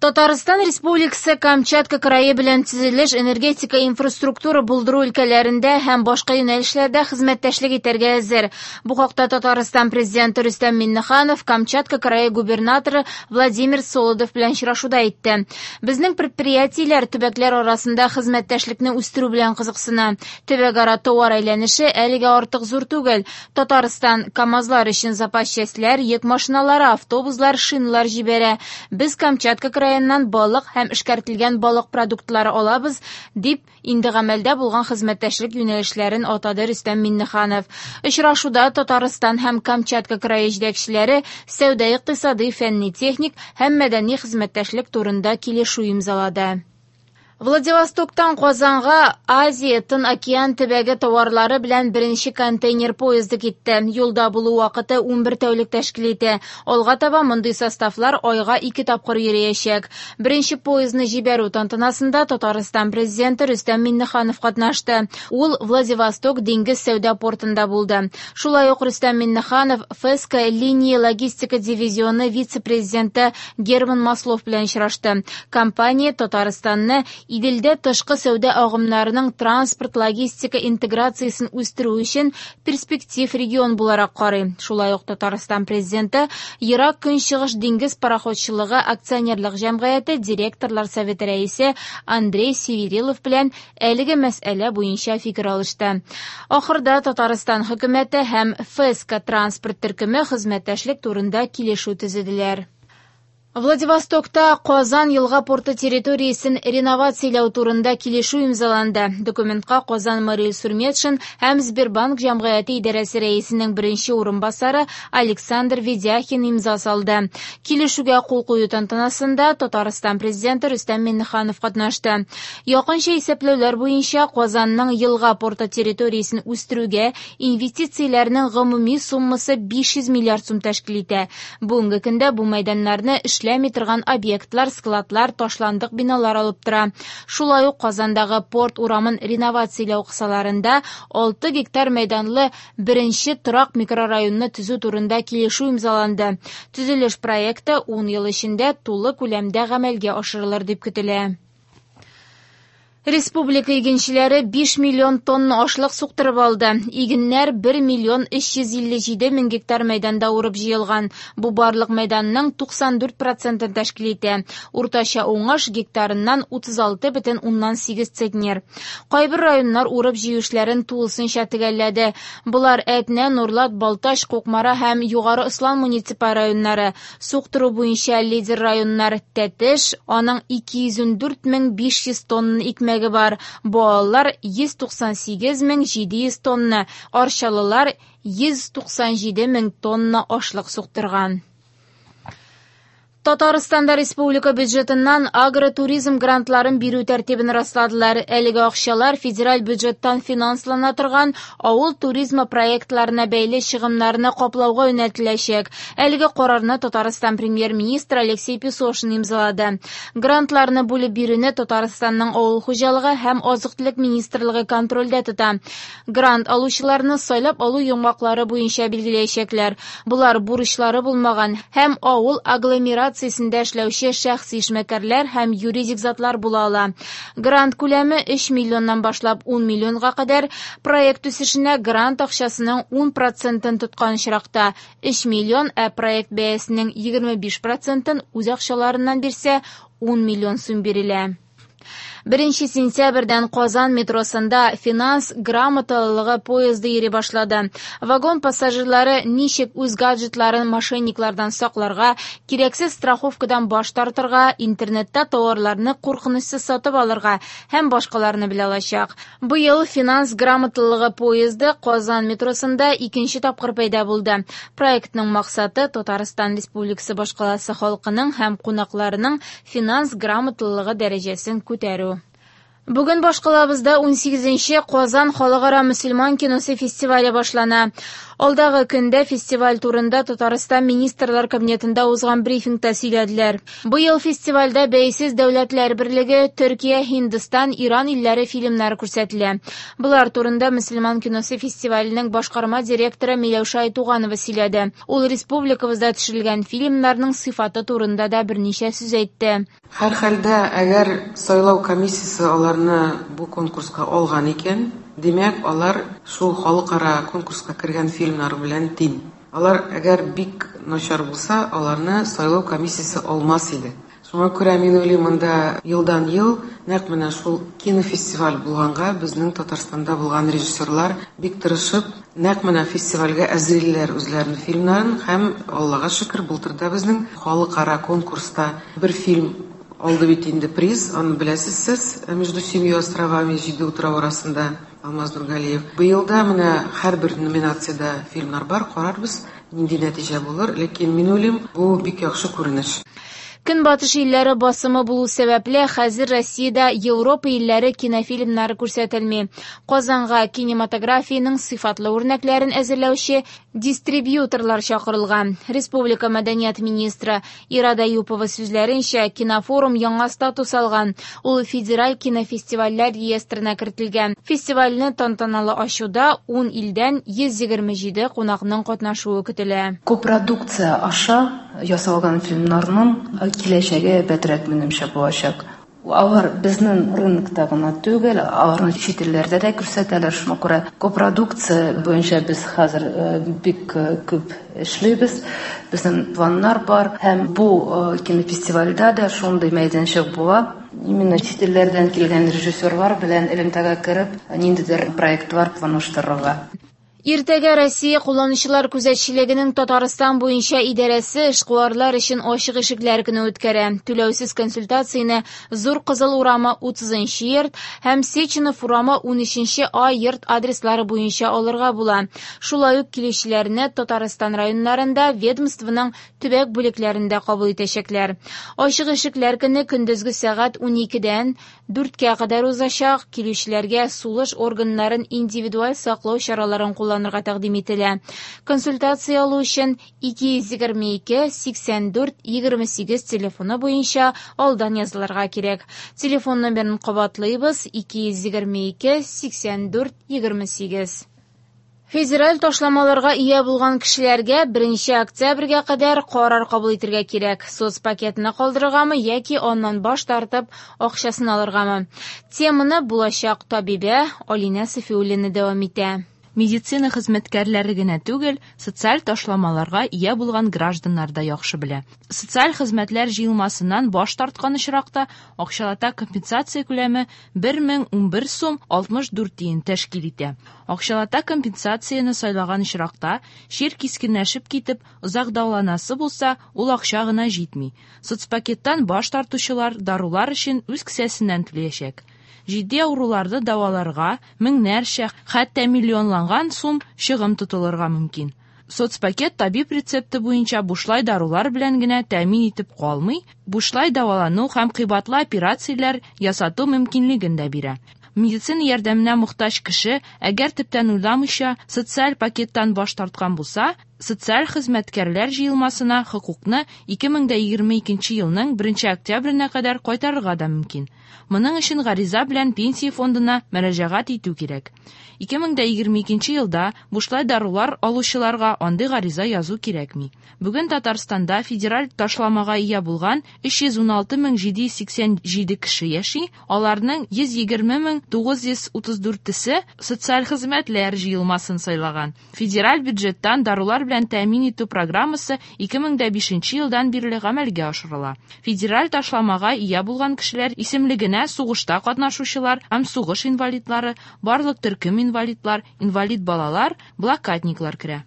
Татарстан Республикасы Камчатка крае белән төзелеш, энергетика, инфраструктура булдыру өлкәләрендә һәм башка юнәлешләрдә хезмәттәшлек итәргә әзер. Бу хакта Татарстан Президенты Рөстәм Миңнеханов Камчатка крае губернаторы Владимир Солодов белән очрашуда әйтте. Безнең предприятиеләр төбәкләр арасында хезмәттәшлекне үстерү белән кызыксына. Төбәкара товар әйләнеше әлегә артык зур түгел. Татарстан КАМАЗлар өчен запас частьләр, йөк машиналары, автобуслар, шиналар җибәрә. Без Камчатка краеннан балык һәм эшкәртелгән балык продуктлары алабыз, дип инде гамәлдә булган хезмәттәшлек юнәлешләрен атады Рөстәм Миңнеханов. Очрашуда Татарстан һәм Камчатка крае җитәкчеләре сәүдә-икътисадый, фәнни-техник һәм мәдәни хезмәттәшлек турында килешү имзалады. Владивостоктан Казанга Азия Тын океан төбәге товарлары белән беренче контейнер поезды китте. Юлда булу вакыты 11 тәүлек тәшкил итә. Алга таба мондый составлар айга ике тапкыр йөриячәк. Беренче поездны җибәрү тантанасында Татарстан президенты Рөстәм Миңнеханов катнашты. Ул Владивосток диңгез сәүдә портында булды. Шулай ук Рөстәм Миңнеханов ФЭСКО линия логистика дивизионы вице-президенты Герман Маслов белән очрашты. Компания Татарстанны Иделдә тышкы сәүдә агымнарының транспорт-логистика интеграциясен үстерү өчен перспектив регион буларак карый. Шулай ук Татарстан президенты Ерак Көнчыгыш диңгез пароходчылыгы акционерлык җәмгыяте директорлар советы рәисе Андрей Северилов белән әлеге мәсьәлә буенча фикер алышты. Ахырда Татарстан хөкүмәте һәм ФЭСКО транспорт төркеме хезмәттәшлек турында килешү төзеделәр. Владивостокта Казан елга порты территориясен реновацияләү турында килешү имзаланды. Документка Казан Марил Сурметшин һәм Сбербанк җәмгыяте идарәсе рәисенең беренче урынбасары Александр Ведяхин имза салды. Килешүгә кул кую тантанасында Татарстан президенты Рөстәм Миңнеханов катнашты. Якынча исәпләүләр буенча Казанның елга порты территориясен үстерүгә инвестицияләрнең гомуми суммасы 500 миллиард сум тәшкил итә. Бүгенге көндә бу мәйданнарны эшләми торган объектлар, складлар, ташландык биналар алып тора. Шулай ук Казандагы порт урамын реновацияләү кысаларында 6 гектар мәйданлы беренче торак микрорайонны төзү турында килешү имзаланды. Төзелеш проекты 10 ел эчендә тулы күләмдә гамәлгә ашырылыр дип көтелә. Республика игенчеләре 5 миллион тонна ашлык суктырып алды. Игеннәр 1 миллион 357 мең гектар мәйданда урып җыелган. Бу барлык мәйданның 94 процентын тәшкил итә. Уртача уңыш гектарыннан 36,8 центнер. Кайбер районнар урып җыю эшләрен тулысынча төгәлләде. Болар Әтнә, Нурлат, Балтач, Кукмара һәм Югары Ослан муниципаль районнары. Суктыру буенча лидер районнар Тәтеш, аның 214 500 тонна икмәге бар. Буалылар 198 700 тонна, Арчалылар 197 мең тонна ашлык суктырган. Татарстанда республика бюджетыннан агротуризм грантларын бирү тәртибен расладылар. Әлеге акчалар федераль бюджеттан финанслана торган авыл туризмы проектларына бәйле чыгымнарны каплауга юнәлтеләчәк. Әлеге карарны Татарстан премьер-министры Алексей Песошин имзалады. Грантларны бүлеп бирүне Татарстанның авыл хуҗалыгы һәм азык-төлек министрлыгы контрольдә тота. Грант алучыларны сайлап алу йомгаклары буенча билгеләячәкләр. Болар бурычлары булмаган һәм авыл агломерациясендә эшләүче шәхси эшмәкәрләр һәм юридик затлар була ала. Грант күләме 3 миллионнан башлап 10 миллионга кадәр. Проект үсешенә грант акчасының 10 процентын тоткан очракта 3 миллион, ә проект бәясенең 25 процентын үз акчаларыннан бирсә 10 миллион сум бирелә. 1 сентябрьдән Казан метросында финанс грамоталылыгы поезды йөри башлады. Вагон пассажирлары ничек үз гаджетларын мошенниклардан сакларга, кирәксез страховкадан баш тартырга, интернетта товарларны куркынычсыз сатып алырга һәм башкаларны белә алачак. Быел финанс грамоталылыгы поезды Казан метросында икенче тапкыр пәйда булды. Проектның максаты Татарстан Республикасы башкаласы халкының һәм кунакларының финанс грамоталылыгы дәрәҗәсен күтәрү. Бүген башкалабызда 18нче Казан халыкара мөселман киносы фестивале башлана. Алдагы көндә фестиваль турында Татарстан Министрлар Кабинетында узган брифингта сөйләделәр. Быел фестивальдә Бәйсез дәүләтләр берлеге, Төркия, Һиндстан, Иран илләре фильмнары күрсәтелә. Болар турында мөселман киносы фестиваленең башкарма директоры Миләүшә Айтуганова сөйләде. Ул республикабызда төшерелгән фильмнарның сыйфаты турында да берничә сүз әйтте. Һәрхәлдә, әгәр сайлау комиссиясе аларны бу конкурска алган икән, димәк, алар шул халыкара конкурска кергән фильмнар белән тиң. Алар әгәр бик начар булса, аларны сайлау комиссиясе алмас иде. Шуңа күрә мин уйлыйм, монда елдан-ел нәкъ менә шул кинофестиваль булганга безнең Татарстанда булган режиссерлар бик тырышып, нәкъ менә фестивальгә әзерлиләр үзләренең фильмнарын һәм Аллага шөкер, былтыр да безнең халыкара конкурста бер фильм алды бит инде приз, аны беләсез сез, Между семью островами, җиде утрау арасында Алмаз Нургалиев. Быел да менә һәрбер номинациядә фильмнар бар, карарбыз, нинди нәтиҗә булыр, ләкин мин уйлыйм, бу бик яхшы күренеш. Көнбатыш илләре басымы булу сәбәпле, хәзер Россиядә Европа илләре кинофильмнары күрсәтелми. Казанга кинематографиянең сыйфатлы үрнәкләрен әзерләүче дистрибьюторлар чакырылган. Республика мәдәният министры Ирада Юпова сүзләренчә, кинофорум яңа статус алган. Ул федераль кинофестивальләр реестрына кертелгән. Фестивальне тантаналы ачуда 10 илдән 127 кунакның катнашуы көтелә. Копродукция аша ясалган фильмнарның киләчәге әйбәтрәк минемчә булачак. Алар безнең рынокта гына түгел, аларны чит илләрдә дә күрсәтәләр. Шуңа күрә копродукция буенча без хәзер бик күп эшлибез. Безнең планнар бар һәм бу кинофестивальдә дә шундый мәйданчык була. Именно чит илләрдән килгән режиссерлар белән элемтәгә кереп, ниндидер проектлар планлаштырырга. Иртәгә Россия кулланучылар күзәтчелегенең Татарстан буенча идарәсе эшкуарлар өчен ачык ишекләр көне үткәрә. Түләүсез консультацияне Зур Кызыл урамы 30 йорт һәм Сеченов урамы 13 А йорт адреслары буенча алырга була. Шулай ук килүчеләрне Татарстан районнарында ведомствоның төбәк бүлекләрендә кабул итәчәкләр. Ачык ишекләр көне көндезге сәгать 12-дән 4-кә кадәр узачак. Килүчеләргә сулыш органнарын индивидуаль саклау чараларын кулланырга тәкъдим ителә. Консультация алу өчен 222 84 28 телефоны буенча алдан язылырга кирәк. Телефон номерын кабатлыйбыз: 222 84 28. Федераль ташламаларга ия булган кешеләргә 1 октябрьгә кадәр карар кабул итәргә кирәк. Соцпакетны калдырыргамы яки аннан баш тартып акчасын алыргамы? Теманы булачак табибә Алинә Сафиуллина дәвам итә. Медицина хезмәткәрләре генә түгел, социаль ташламаларга ия булган гражданнар да яхшы белә. Социаль хезмәтләр җыелмасыннан баш тарткан очракта акчалата компенсация күләме 1011 сум 64 тиен тәшкил итә. Акчалата компенсацияне сайлаган очракта, чир кискенләшеп китеп, озак дәваланасы булса, ул акча гына җитми. Соцпакеттан баш тартучылар дарулар өчен үз кесәсеннән түләячәк. Җитди авыруларны дәваларга меңнәрчә, хәтта миллионланган сум чыгым тотылырга мөмкин. Соцпакет табиб рецепты буенча бушлай дарулар белән генә тәэмин итеп калмый, бушлай дәвалану һәм кыйбатлы операцияләр ясату мөмкинлеген дә бирә. Медицина ярдәменә мохтаҗ кеше, әгәр төптән уйламыйча социаль пакеттан баш тарткан булса, социаль хезмәткәрләр җыелмасына хокукны 2022 елның 1 октябренә кадәр кайтарырга да мөмкин. Моның өчен гариза белән пенсия фондына мөрәҗәгать итү кирәк. 2022 елда бушлай дарулар алучыларга андый гариза язу кирәкми. Бүген Татарстанда федераль ташламага ия булган 316787 кеше яши, аларның 120934-се социаль хезмәтләр җыелмасын сайлаган. Федераль бюджеттан дарулар белән тәэмин итү программасы 2005 елдан бирле гамәлгә ашырыла. Федераль ташламага ия булган кешеләр исемлегенә сугышта катнашучылар һәм сугыш инвалидлары, барлык төркем инвалидлар, инвалид балалар, блокадниклар керә.